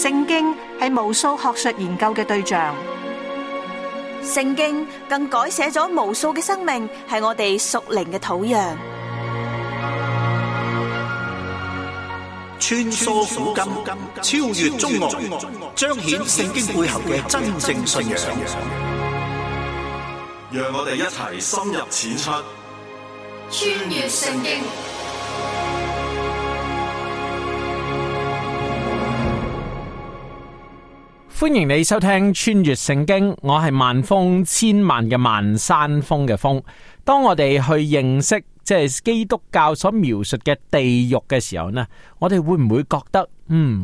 聖經係無數學術研究嘅對象，聖經更改寫咗無數嘅生命，係我哋屬靈嘅土壤。穿梭古今，超越中外，彰顯聖經背後嘅真正信仰。讓我哋一齊深入淺出，穿越聖經。歡迎你收聽穿越聖經，我係萬峰千萬嘅萬山峰嘅峰。當我哋去認識即係基督教所描述嘅地獄嘅時候呢，我哋會唔會覺得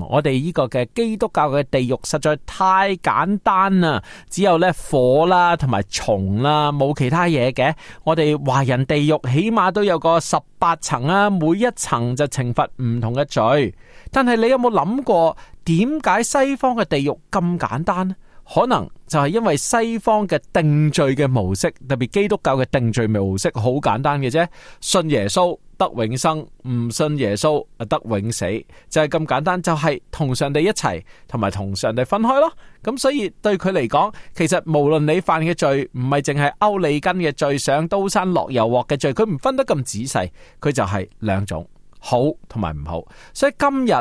我哋呢個嘅基督教嘅地獄實在太簡單啦，只有咧火啦同埋蟲啦，冇其他嘢嘅。我哋華人地獄起碼都有個18層啊，每一層就懲罰唔同嘅罪。但係你有冇諗過點解西方嘅地獄咁簡單呢？可能就係因為西方嘅定罪嘅模式，特別基督教嘅定罪模式好簡單嘅啫，信耶穌得永生，唔信耶穌得永死，就係咁簡單，就係同上帝一齊，同埋同上帝分開咯。咁所以對佢嚟講，其實無論你犯嘅罪唔係淨係歐利根嘅罪，上刀山落油鑊嘅罪，佢唔分得咁仔細，佢就係兩種，好同埋唔好。所以今日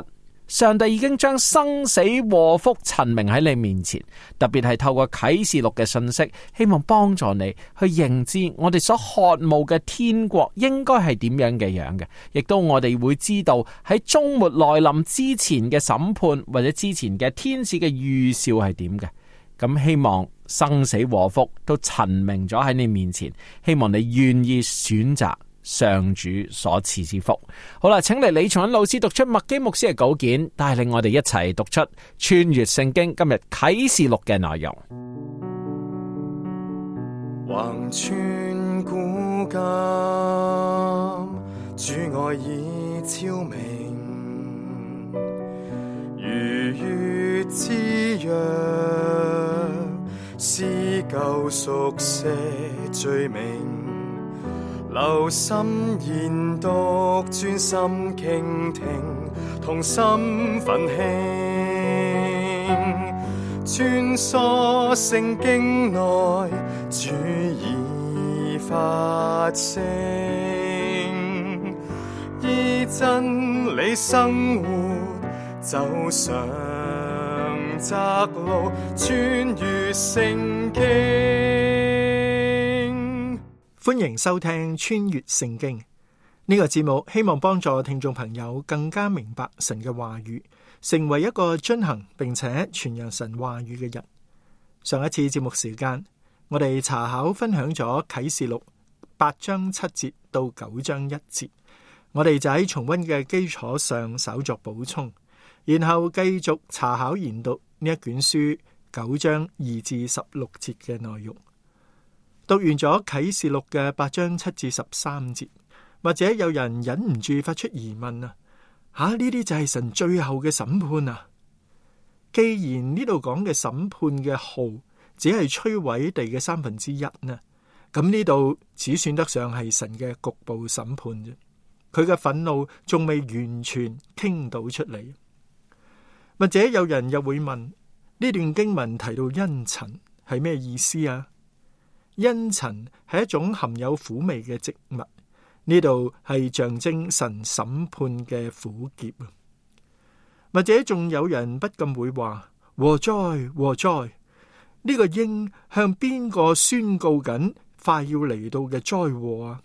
上帝已經將生死禍福陳明喺你面前，特別係透過啟示錄嘅信息，希望幫助你去認知我哋所渴慕嘅天國應該係點樣嘅樣嘅，亦都我哋會知道喺終末來臨之前嘅審判或者之前嘅天使嘅預兆係點嘅。咁希望生死禍福都陳明咗喺你面前，希望你願意選擇上主所賜之福。好啦，請嚟李松恩老師讀出麥基牧師嘅稿件，帶領我哋一齊讀出穿越聖經今日啟示錄嘅內容。橫穿古今，主愛已昭明，如月之約，撕救贖些罪名，留心研讀，專心傾聽，同心奮興，穿梭聖經內，主已發聲，依真理生活，走上窄路，穿越聖經。歡迎收聽穿越聖經呢個節目，希望幫助聽眾朋友更加明白神嘅話語，成為一個遵行並且傳揚神話語嘅人。上一次節目時間，我哋查考分享咗啟示錄8章7節到9章1節，我哋就喺重溫嘅基礎上稍作補充，然後繼續查考研讀呢一卷書9章2至16節嘅內容。讀完咗啟示錄嘅8章7至13節，或者有人忍唔住發出疑問啊，呢啲就係神最後嘅審判啊！既然呢度講嘅審判嘅號只係摧毀地嘅1/3呢，咁呢度只算得上係神嘅局部審判啫，佢嘅憤怒仲未完全傾倒出嚟。或者有人又會問，呢段經文提到茵蔯係咩意思啊？茵蔯係一種含有苦味嘅植物，呢度係象徵神審判嘅苦澀啊！或者仲有人不禁會話：禍哉禍哉！呢個鷹向邊個宣告緊快要嚟到嘅災禍啊？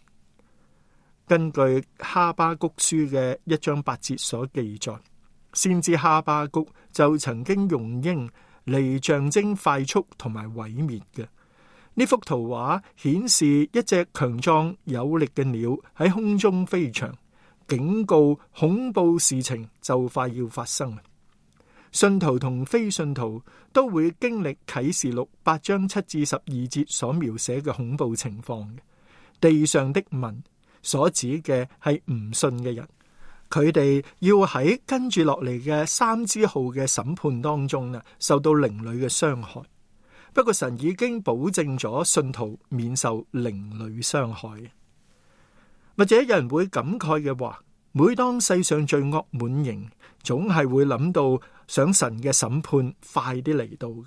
根據哈巴谷書嘅1章8節所記載，先知哈巴谷就曾經用鷹嚟象徵快速同埋毀滅嘅。呢幅圖畫顯示一隻強壯有力嘅鳥喺空中飛翔，警告恐怖事情就快要發生。信徒同非信徒都會經歷啟示錄8章7至12節所描寫嘅恐怖情況。地上的民所指嘅係唔信嘅人，佢哋要喺跟住落嚟嘅3支號嘅審判當中受到靈裏嘅傷害。不過神已經保證咗信徒免受靈裏傷害。或者有人會感慨嘅話，每當世上罪惡滿盈，總係會諗到想神嘅審判快啲嚟到嘅。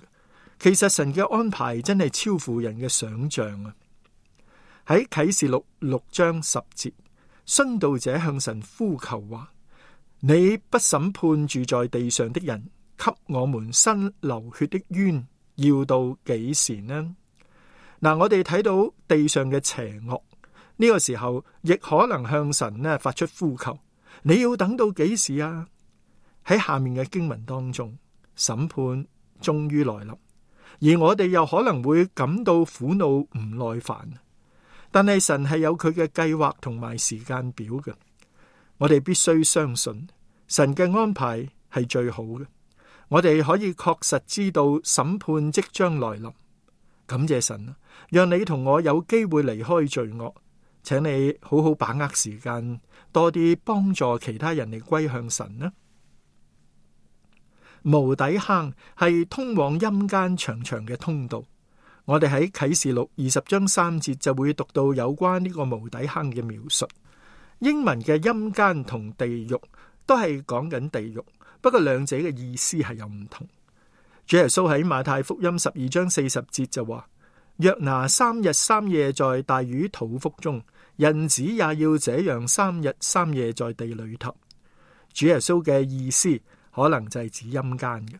其實神嘅安排真係超乎人嘅想象啊！喺啟示錄6章10節，殉道者向神呼求話：你不審判住在地上的人，給我們伸流血的冤，要到幾時呢？嗱，我哋睇到地上嘅邪惡，呢個時候亦可能向神呢發出呼求：你要等到幾時啊？喺下面嘅經文當中，審判終於來臨，而我哋又可能會感到苦惱唔耐煩。但係神係有佢嘅計劃同埋時間表嘅，我哋必須相信神嘅安排係最好嘅。我哋可以確實知道審判即將來臨。感謝神啊，讓你同我有機會離開罪惡，請你好好把握時間，多啲幫助其他人嚟歸向神啦。無底坑係通往陰間長長嘅通道，我哋喺啟示錄20章3節就會讀到有關呢個無底坑嘅描述。英文嘅陰間同地獄都係講緊地獄，不過兩者嘅意思係有唔同。主耶穌喺馬太福音12章40節就話：約拿3日3夜在大魚肚腹中，人子也要這樣3日3夜在地裏頭。主耶穌嘅意思可能就係指陰間嘅。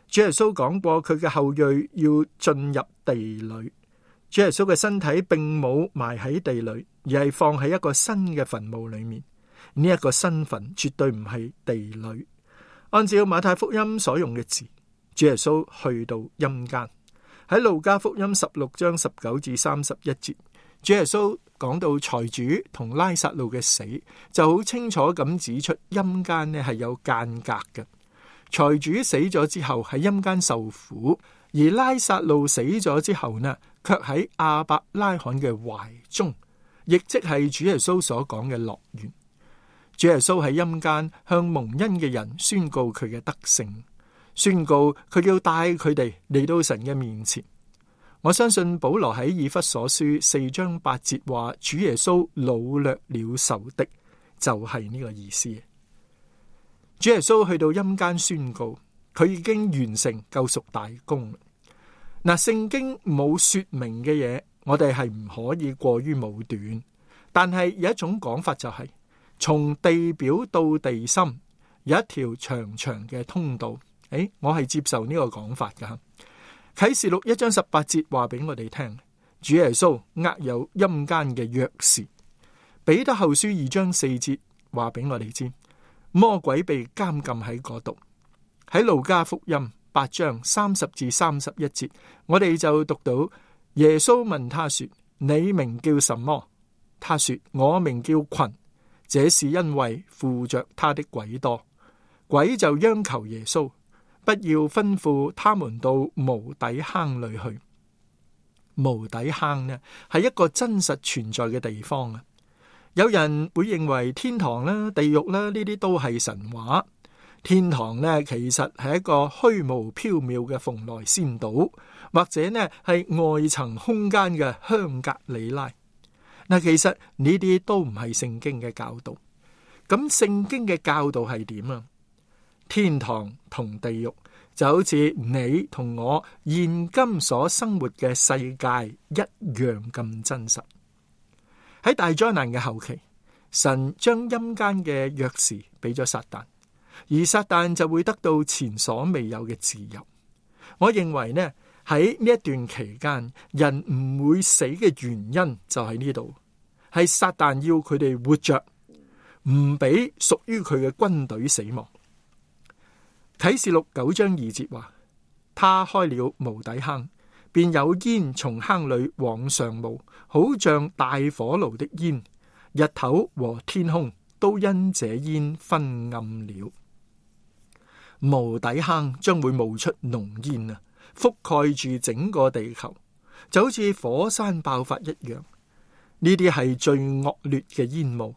主耶穌講過佢嘅後裔要進入地裏，主耶穌嘅身體並冇埋喺地裏，而係放喺一個新嘅墳墓裏面。呢一個新墳絕對唔係地裏。按照馬太福音所用嘅字，主耶穌去到陰間。喺路加福音16章19至31節，主耶穌講到財主同拉撒路嘅死，就好清楚咁指出陰間呢係有間隔嘅。財主死咗之後喺陰間受苦，而拉撒路死咗之後呢，卻喺亞伯拉罕嘅懷中，亦即係主耶穌所講嘅樂園。主耶穌喺陰間向蒙恩嘅人宣告佢嘅德性，宣告佢要帶佢哋嚟到神嘅面前。我相信保羅喺以弗所書4章8節話，主耶穌擄掠了仇敵，就係呢個意思。主耶穌去到陰間宣告，佢已經完成救贖大功。嗱，聖經冇說明嘅嘢，我哋係唔可以過於武斷。但係有一種講法就係，從地表到地心有一條長長嘅通道。我係接受呢個講法噶。啟示錄1章18節話俾我哋聽，主耶穌握有陰間嘅鑰匙。彼得後書2章4節話俾我哋知，魔鬼被監禁喺嗰度。喺路加福音8章30至31節，我哋就讀到耶穌問他說：你名叫什麼？他說：我名叫群。這是因為附着他的鬼多。鬼就央求耶穌，不要吩咐他們到無底坑裏去。無底坑呢，係一個真實存在嘅地方啊！有人會認為天堂啦、地獄啦，呢啲都係神話。天堂呢，其實係一個虛無縹緲嘅蓬萊仙島，或者呢係外層空間嘅香格里拉。嗱，其實呢啲都唔係聖經嘅教導。咁聖經嘅教導係點啊？天堂同地獄就好似你同我現今所生活嘅世界一樣咁真實。喺大災難嘅後期，神將陰間嘅鑰匙俾咗撒旦，而撒旦就會得到前所未有嘅自由。我認為呢，喺呢一段期間，人唔會死嘅原因就喺呢度，係撒旦要佢哋活着，唔俾屬於佢嘅軍隊死亡。啟示錄9章2節話，他開了無底坑，便有煙從坑裏往上冒，好像大火爐的煙，日頭和天空都因這煙昏暗了。無底坑將會冒出濃煙啊，覆蓋住整個地球，就好似火山爆發一樣。呢啲係最惡劣嘅煙霧。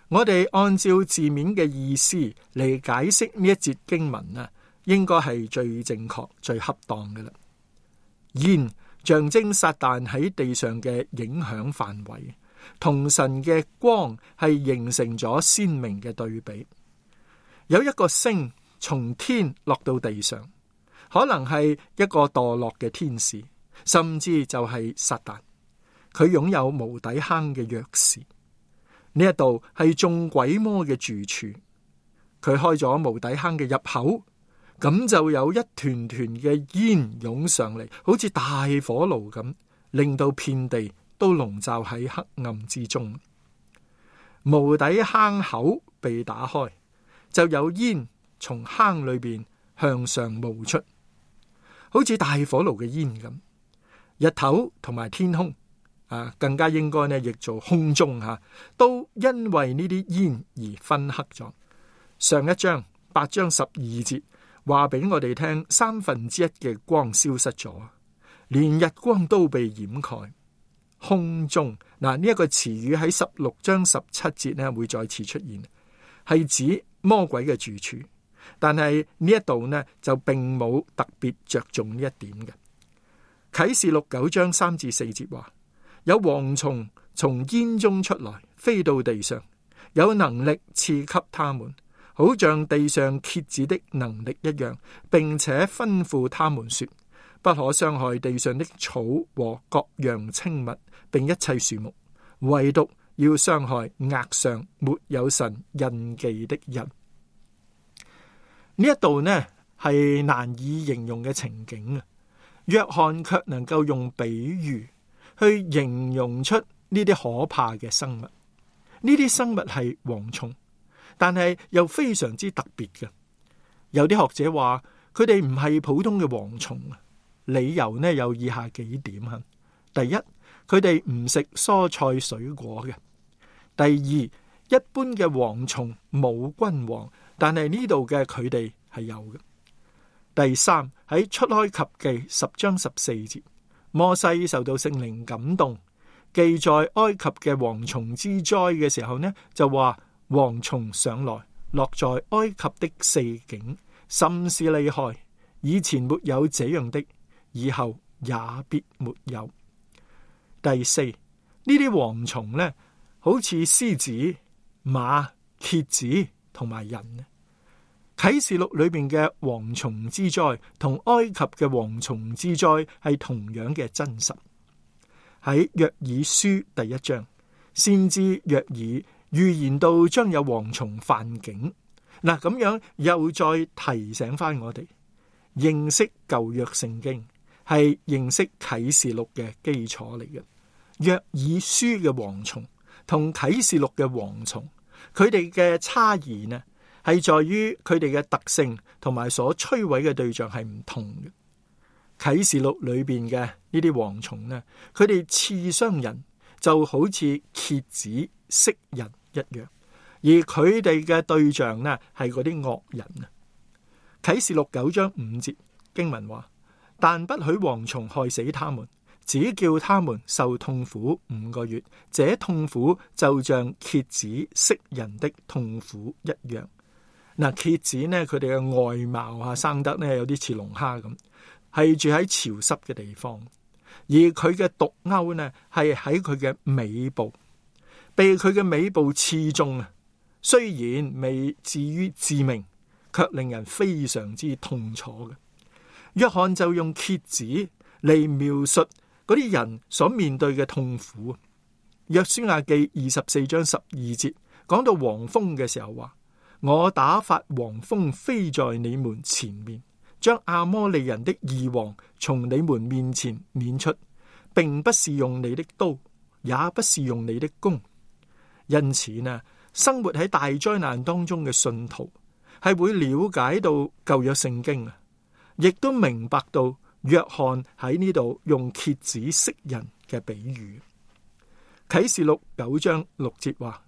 我哋按照字面嘅意思嚟解釋呢一節經文啊，應該係最正確、最恰當嘅啦。煙象徵撒旦喺地上嘅影響範圍，同神嘅光係形成咗鮮明嘅對比。有一個星從天落到地上，可能係一個墮落嘅天使，甚至就係撒旦。佢擁有無底坑嘅鑰匙，呢一度係眾鬼魔嘅住處。佢開咗無底坑嘅入口，咁就有一團團嘅煙湧上嚟，好似大火爐咁，令到遍地都籠罩喺黑暗之中。無底坑口被打開，就有煙從坑裏邊向上冒出，好似大火爐嘅煙咁。日頭同埋天空更加應該呢譯做空中都因為呢啲煙而昏黑咗。上一章8章12節話俾我哋聽，1/3嘅光消失咗，連日光都被掩蓋。空中呢一個詞語喺16章17節呢會再次出現，係指魔鬼嘅住處。但係呢一度呢就並冇特別着重呢一點嘅。啟示錄9章3至4節話，有蝗蟲從煙中出來，飛到地上，有能力賜給他們，好像地上蠍子的能力一樣，並且吩咐他們說，不可傷害地上的草和各樣青物，並一切樹木，唯獨要傷害額上沒有神印記的人。呢一度呢係難以形容嘅情景啊！約翰卻能夠用比喻去形容出呢啲可怕嘅生物。呢啲生物係蝗蟲，但係又非常之特別嘅。有啲學者話佢哋唔係普通嘅蝗蟲，理由呢有以下幾點。第一，佢哋唔食蔬菜水果嘅。第二，一般嘅蝗蟲冇君王，但係呢度嘅佢哋係有嘅。第三，喺出埃及記10章14節，摩西受到聖靈感動，記載埃及嘅蝗蟲之災嘅時候呢，就話蝗蟲上來，落在埃及的四境，甚是厲害，以前沒有這樣的，以後也必沒有。第四，呢啲蝗蟲呢，好似獅子、馬、蠍子同埋人。啟示錄裏邊嘅蝗蟲之災同埃及嘅蝗蟲之災係同樣嘅真實。喺約珥書第1章，先知約珥預言到將有蝗蟲犯境。嗱，咁樣又再提醒翻我哋，認識舊約聖經係認識啟示錄嘅基礎嚟嘅。約珥書嘅蝗蟲同啟示錄嘅蝗蟲，佢哋嘅差異呢，係在於佢哋嘅特性同埋所摧毀嘅對象係唔同嘅。啟示錄裏邊嘅呢啲蝗蟲呢，佢哋刺傷人就好似蠍子螫人一樣，而佢哋嘅對象呢係嗰啲惡人啊。啟示錄9章5節經文話，但不許蝗蟲害死他們，只叫他們受痛苦5個月，這痛苦就像蠍子螫人的痛苦一樣。嗱，蠍子呢，佢哋嘅外貌生得呢有啲似龍蝦咁，係住喺潮濕嘅地方，而佢嘅毒鈎呢係喺佢嘅尾部，被佢嘅尾部刺中啊。雖然未至於致命，卻令人非常之痛楚嘅。約翰就用蠍子嚟描述嗰啲人所面對嘅痛苦。約書亞記24章12節講到黃蜂嘅時候話，我打發黃蜂飛在你們前面，將亞摩利人的二王從你們面前攆出，並不是用你的刀，也不是用你的弓。因此呢，生活喺大災難當中嘅信徒係會了解到舊約聖經啊，亦都明白到約翰喺呢度用蠍子螫人嘅比喻。啟示錄9章6節話，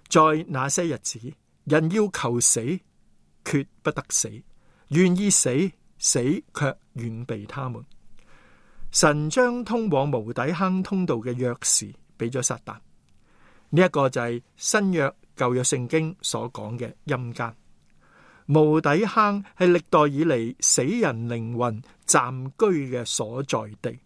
在那些日子，人要求死，決不得死；願意死，死卻遠避他們。神將通往無底坑通道嘅鑰匙俾咗撒旦。呢一個就係新約舊約聖經所講嘅陰間。無底坑係歷代以嚟死人靈魂暫居嘅所在地。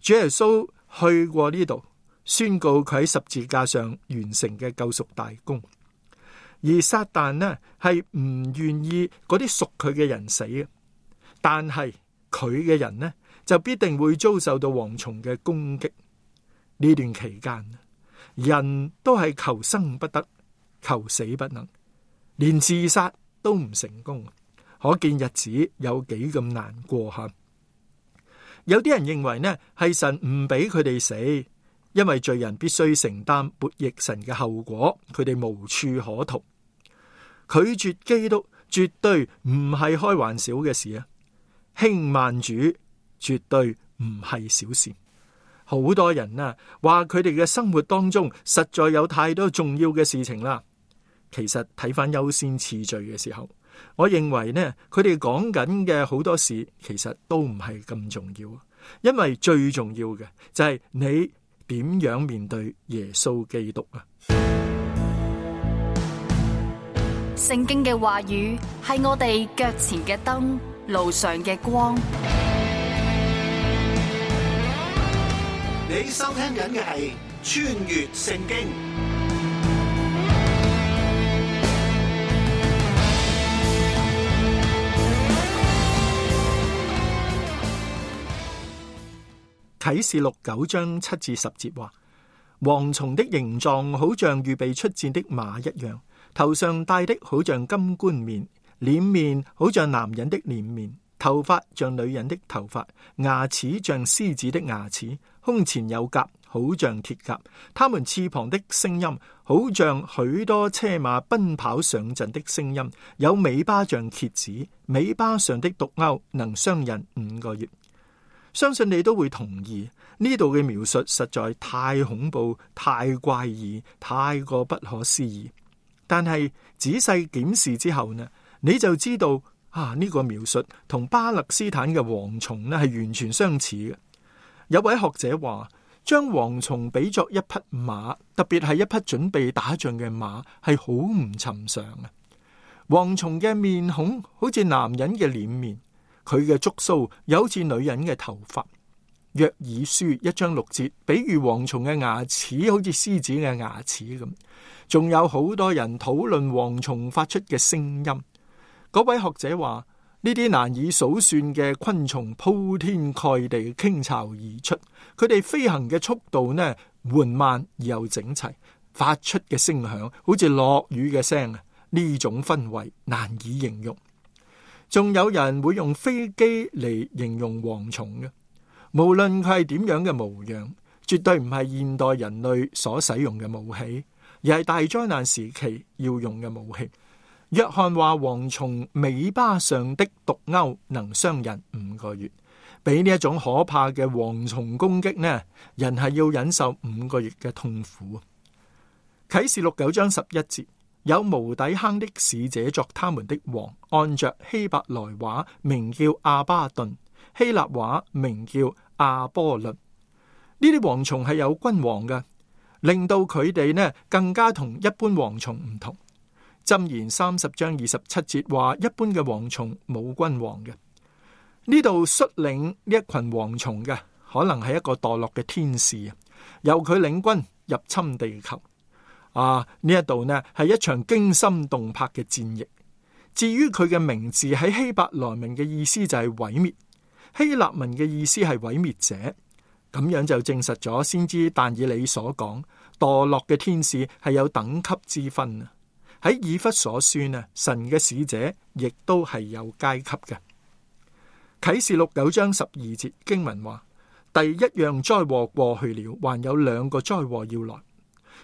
主耶穌去過呢度，宣告佢喺十字架上完成嘅救贖大功。而撒旦呢係唔願意嗰啲屬佢嘅人死嘅，但係佢嘅人呢就必定會遭受到蝗蟲嘅攻擊。呢段期間，人都係求生不得，求死不能，連自殺都唔成功，可見日子有幾咁難過吓。有啲人認為呢係神唔俾佢哋死，因為罪人必須承擔悖逆神嘅後果，佢哋無處可逃。拒絕基督絕對唔係開玩笑嘅事啊！輕慢主絕對唔係小事。好多人啊話佢哋嘅生活當中實在有太多重要嘅事情啦。其實睇返優先次序嘅時候，我認為呢，佢哋講緊嘅好多事其實都唔係咁重要，因為最重要嘅就係你點樣面對耶穌基督啊！聖經嘅話語係我哋腳前嘅燈，路上嘅光。你收聽緊嘅係穿越聖經。啟示錄9章7至10節話：蝗蟲的形狀好像預備出戰的馬一樣，頭上戴的好像金冠冕，臉面好像男人的臉面，頭髮像女人的頭髮，牙齒像獅子的牙齒，胸前有甲，好像鐵甲。他們翅膀的聲音好像許多車馬奔跑上陣的聲音，有尾巴像蠍子，尾巴上的毒鈎能傷人5個月。相信你都會同意，呢度嘅描述實在太恐怖、太怪異、太過不可思議。但係仔細檢視之後呢，你就知道呢個描述同巴勒斯坦嘅蝗蟲呢係完全相似嘅。有位學者話，將蝗蟲比作一匹馬，特別係一匹準備打仗嘅馬，係好唔尋常啊！蝗蟲嘅面孔好似男人嘅臉面，佢嘅觸鬚有好似女人嘅頭髮。約珥書1章6節，比喻蝗蟲嘅牙齒好似獅子嘅牙齒咁。仲有好多人討論蝗蟲發出嘅聲音。嗰位學者話，呢啲難以數算嘅昆蟲鋪天蓋地傾巢而出，佢哋飛行嘅速度呢緩慢而又整齊，發出嘅聲響好似落雨嘅聲。呢種氛圍難以形容。仲有人會用飛機嚟形容蝗蟲嘅，無論佢係點樣嘅模樣，絕對唔係現代人類所使用嘅武器，而係大災難時期要用嘅武器。約翰話，蝗蟲尾巴上的毒鈎能傷人5個月。俾呢一種可怕嘅蝗蟲攻擊呢，人係要忍受5個月嘅痛苦。啟示錄9章11節，有無底坑的使者作他們的王，按着希伯來話名叫阿巴頓，希臘話名叫阿波倫。呢啲蝗蟲係有君王嘅，令到佢哋呢更加同一般蝗蟲唔同。箴言30章27節話，一般嘅蝗蟲冇君王嘅。呢度率領呢一群蝗蟲嘅，可能係一個墮落嘅天使，由佢領軍入侵地球。呢一度呢係一場驚心動魄嘅戰役。至於佢嘅名字喺希伯來文嘅意思就係毀滅，希臘文嘅意思係毀滅者。咁樣就證實咗先知但以理所講，墮落嘅天使係有等級之分啊。喺以弗所書啊，神嘅使者亦都係有階級嘅。啟示錄9章12節經文話，第一樣災禍過去了，還有2個災禍要來。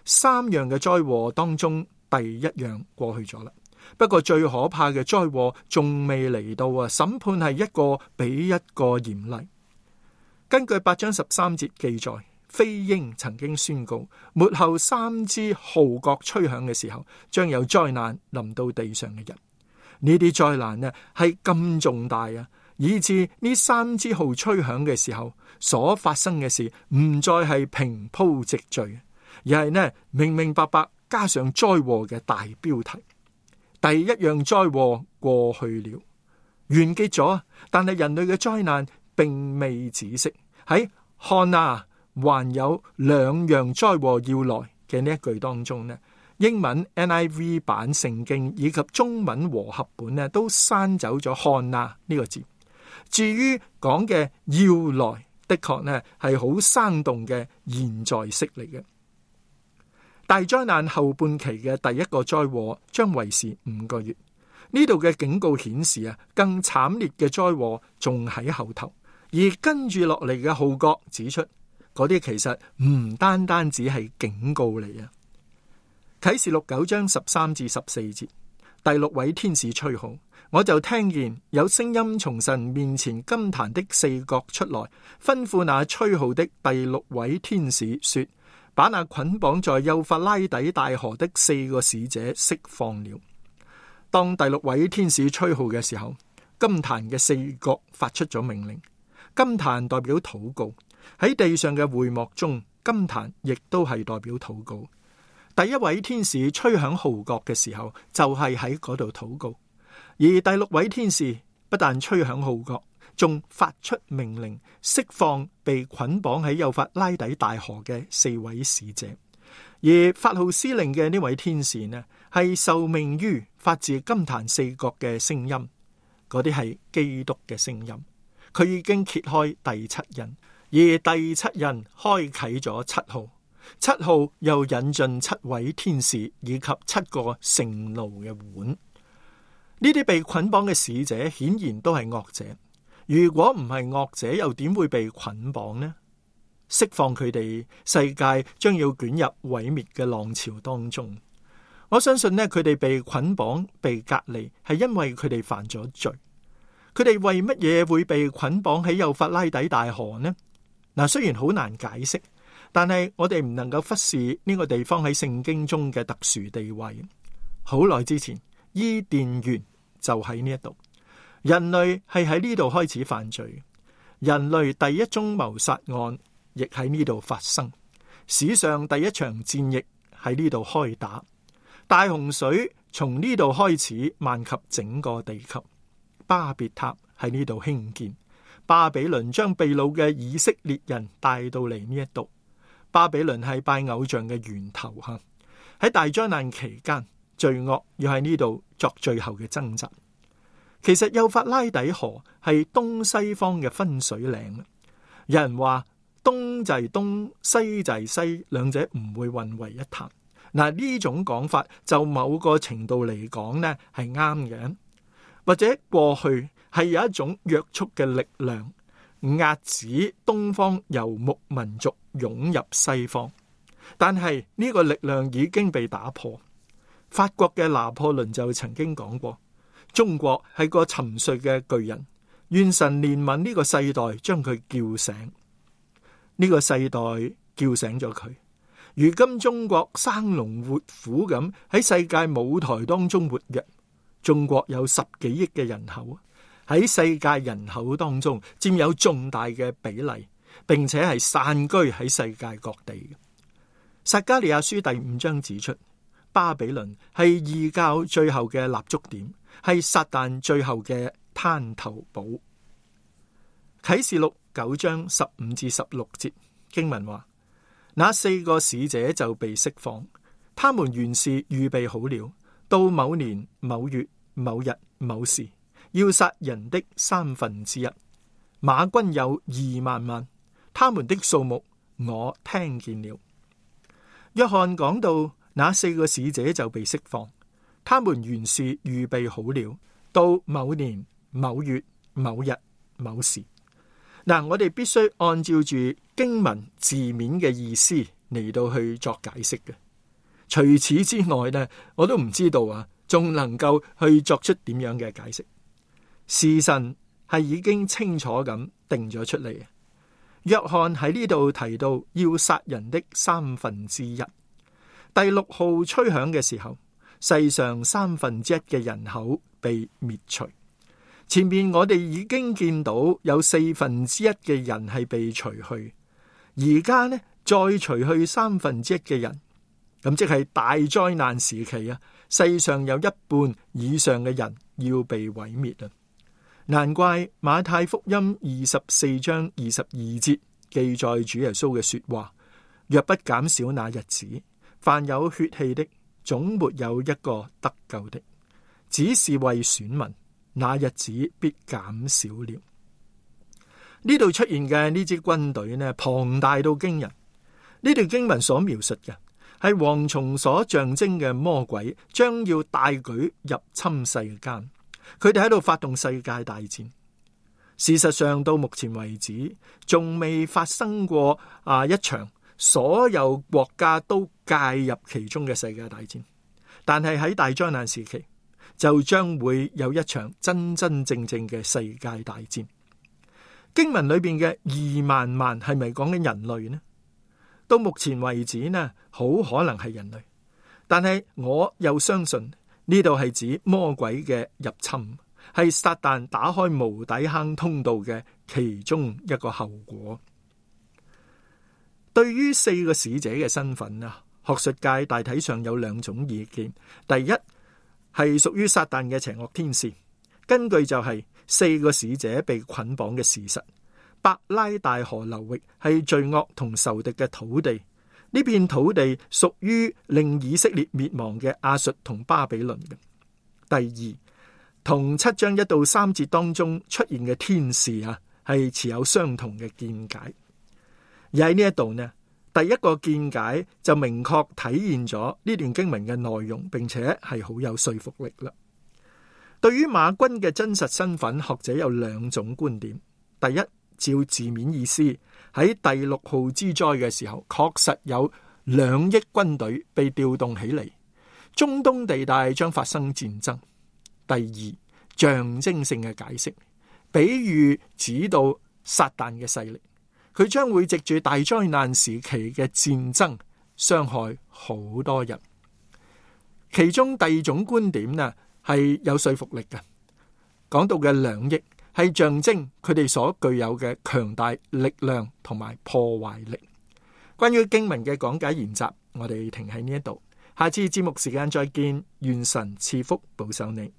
3樣嘅災禍當中，第一樣過去咗啦。不過最可怕嘅災禍仲未嚟到啊！審判係一個比一個嚴厲。根據8章13節記載，飛鷹曾經宣告，末後3支號角吹響嘅時候，將有災難臨到地上嘅人。呢啲災難呢係咁重大啊，以致呢3支號吹響嘅時候，所發生嘅事唔再係平鋪直敘，而係呢明明白白加上災禍嘅大標題。第一樣災禍過去了，完結咗，但係人類嘅災難並未止息。喺看啊，還有2樣災禍要來嘅呢一句當中呢，英文 NIV 版聖經以及中文和合本呢，都刪走咗看哪呢個字。至於講嘅要來，的確呢係好生動嘅現在式嚟嘅。大災難後半期嘅第一個災禍將維持5個月。呢度嘅警告顯示啊，更慘烈嘅災禍仲喺後頭，而跟住落嚟嘅號角指出，嗰啲其實唔單單只係警告嚟啊。啟示錄9章13至14節，第6位天使吹號，我就聽見有聲音從神面前金壇的4角出來，吩咐那吹號的第6位天使說，把那捆綁在幼發拉底大河的4個使者釋放了。當第6位天使吹號嘅時候，金壇嘅4角發出咗命令。金壇代表禱告，喺地上嘅會幕中，金壇亦都係代表禱告。第1位天使吹響號角嘅時候，就係喺嗰度禱告。而第6位天使不但吹響號角，仲發出命令，釋放被捆綁喺幼發拉底大河嘅4位使者。而發號施令嘅呢位天使呢，係受命於發自金壇4角嘅聲音，嗰啲係基督嘅聲音。佢已經揭開第7印，而第7印開啟咗7號，7號又引進7位天使以及7個盛怒嘅碗。呢啲被捆綁嘅使者顯然都係惡者，如果唔係惡者，又點會被捆綁呢？釋放佢哋，世界將要捲入毀滅嘅浪潮當中。我相信呢，佢哋被捆綁、被隔離，係因為佢哋犯咗罪。佢哋為乜嘢會被捆綁喺幼發拉底大河呢？嗱，雖然好難解釋，但係我哋唔能夠忽視呢個地方喺聖經中嘅特殊地位。好耐之前，伊甸園就喺呢一度，人類係喺呢度開始犯罪，人類第一宗謀殺案亦喺呢度發生，史上第一場戰役喺呢度開打，大洪水從呢度開始漫及整個地球，巴別塔喺呢度興建，巴比倫將被擄嘅以色列人帶到嚟呢一度。巴比倫係拜偶像嘅源頭吓，喺大災難期間，罪惡要喺呢度作最後嘅掙扎。其實幼發拉底河係東西方嘅分水嶺，有人話東就係東，西就係西，兩者唔會混為一談。嗱，呢種講法就某個程度嚟講呢係啱嘅，或者過去係有一種約束嘅力量壓止東方游牧民族湧入西方，但係呢個力量已經被打破。法國嘅拿破崙就曾經講過，中國係個沉睡嘅巨人，願神憐憫呢個世代，將佢叫醒。呢個世代叫醒咗佢，如今中國生龍活虎咁喺世界舞台當中活躍。中國有10幾億嘅人口，喺世界人口當中佔有重大嘅比例，並且係散居喺世界各地。撒迦利亞書第5章指出，巴比倫係異教最後嘅立足點，係撒旦最後嘅灘頭堡。啟示錄9章15至16節經文話，那4個使者就被釋放，他們原是預備好了，到某年某月某日某時，要殺人的1/3。馬軍有2萬萬，他們的數目我聽見了。約翰講到那4個使者就被釋放，他們原是預備好了，到某年某月某日某時。嗱，我哋必須按照住經文字面嘅意思嚟到去作解釋嘅。除此之外呢，我都唔知道啊，仲能夠去作出點樣嘅解釋。時辰係已經清楚咁定咗出嚟。約翰喺呢度提到要殺人的1/3。第6號吹響嘅時候，世上1/3嘅人口被滅除。前面我哋已經見到有1/4嘅人係被除去，而家呢再除去1/3嘅人，咁即係大災難時期啊！世上有一半以上嘅人要被毀滅啊！難怪馬太福音24章22節記載主耶穌嘅說話：若不減少那日子，凡有血氣的，總沒有一個得救的，只是為選民，那日子必減少了。呢度出現嘅呢支軍隊呢，龐大到驚人。呢段經文所描述嘅係蝗蟲所象徵嘅魔鬼將要大舉入侵世間，佢哋喺度發動世界大戰。事實上到目前為止仲未發生過一場所有國家都介入其中嘅世界大戰，但係喺大災難時期就將會有一場真真正正嘅世界大戰。經文裏邊嘅2萬萬係咪講緊人類呢？到目前為止呢，好可能係人類，但係我又相信呢度係指魔鬼嘅入侵，係撒旦打開無底坑通道嘅其中一個後果。對於4個使者嘅身份啊，學術界大體上有2種意見。第一係屬於撒旦嘅邪惡天使，根據就係4個使者被捆綁嘅事實。伯拉大河流域係罪惡同仇敵嘅土地，呢片土地屬於令以色列滅亡嘅亞述同巴比倫嘅。第二，同7章1到3節當中出現嘅天使啊，係持有相同嘅見解。而喺呢一度呢，第一個見解就明確體現咗呢段經文嘅內容，並且係好有說服力啦。對於馬軍嘅真實身份，學者有2種觀點。第一，照字面意思，喺第6號之災嘅時候，確實有2億軍隊被調動起嚟，中東地帶將發生戰爭。第二，象徵性嘅解釋，比喻指到撒旦嘅勢力，佢將會藉住大災難時期嘅戰爭傷害好多人。其中第2種觀點呢，係有說服力嘅，講到嘅2億係象徵佢哋所具有嘅強大力量同埋破壞力。關於經文嘅講解研習，我哋停喺呢一度，下次節目時間再見，願神賜福保守你。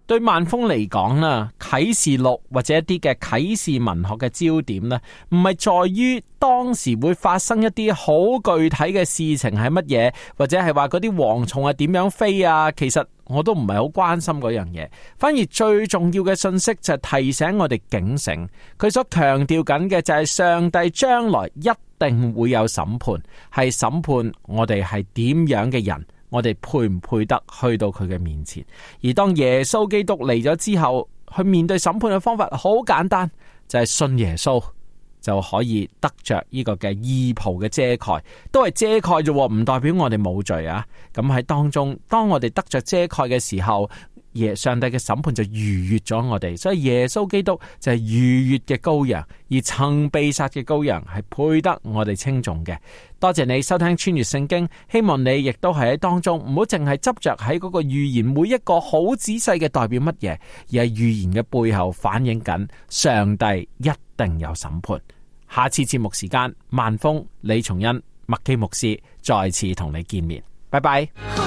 對萬峰嚟講啦，啟示錄或者一啲嘅啟示文學嘅焦點呢，唔係在於當時會發生一啲好具體嘅事情係乜嘢，或者係話嗰啲蝗蟲係點樣飛啊，其實我都唔係好關心嗰樣嘢。反而最重要嘅信息就係提醒我哋警醒，佢所強調緊嘅就係上帝將來一定會有審判，係審判我哋係點樣嘅人，我哋配唔配得去到佢嘅面前。而當耶穌基督嚟咗之後，去面對審判嘅方法好簡單，就係信耶穌就可以得着呢個嘅義袍嘅遮蓋，都係遮蓋啫，唔代表我哋冇罪啊。咁喺當中，當我哋得着遮蓋嘅時候，上帝嘅審判就逾越咗我哋，所以耶穌基督就係逾越嘅羔羊，而曾被殺嘅羔羊係配得我哋稱頌嘅。多謝你收聽穿越聖經，希望你亦都係喺當中唔好淨係執着喺嗰個預言每一個好仔細嘅代表乜嘢，而係預言嘅背後反映緊上帝一定有審判。下次節目時間，萬峰、李松恩、麥基牧師再次同你見面，拜拜。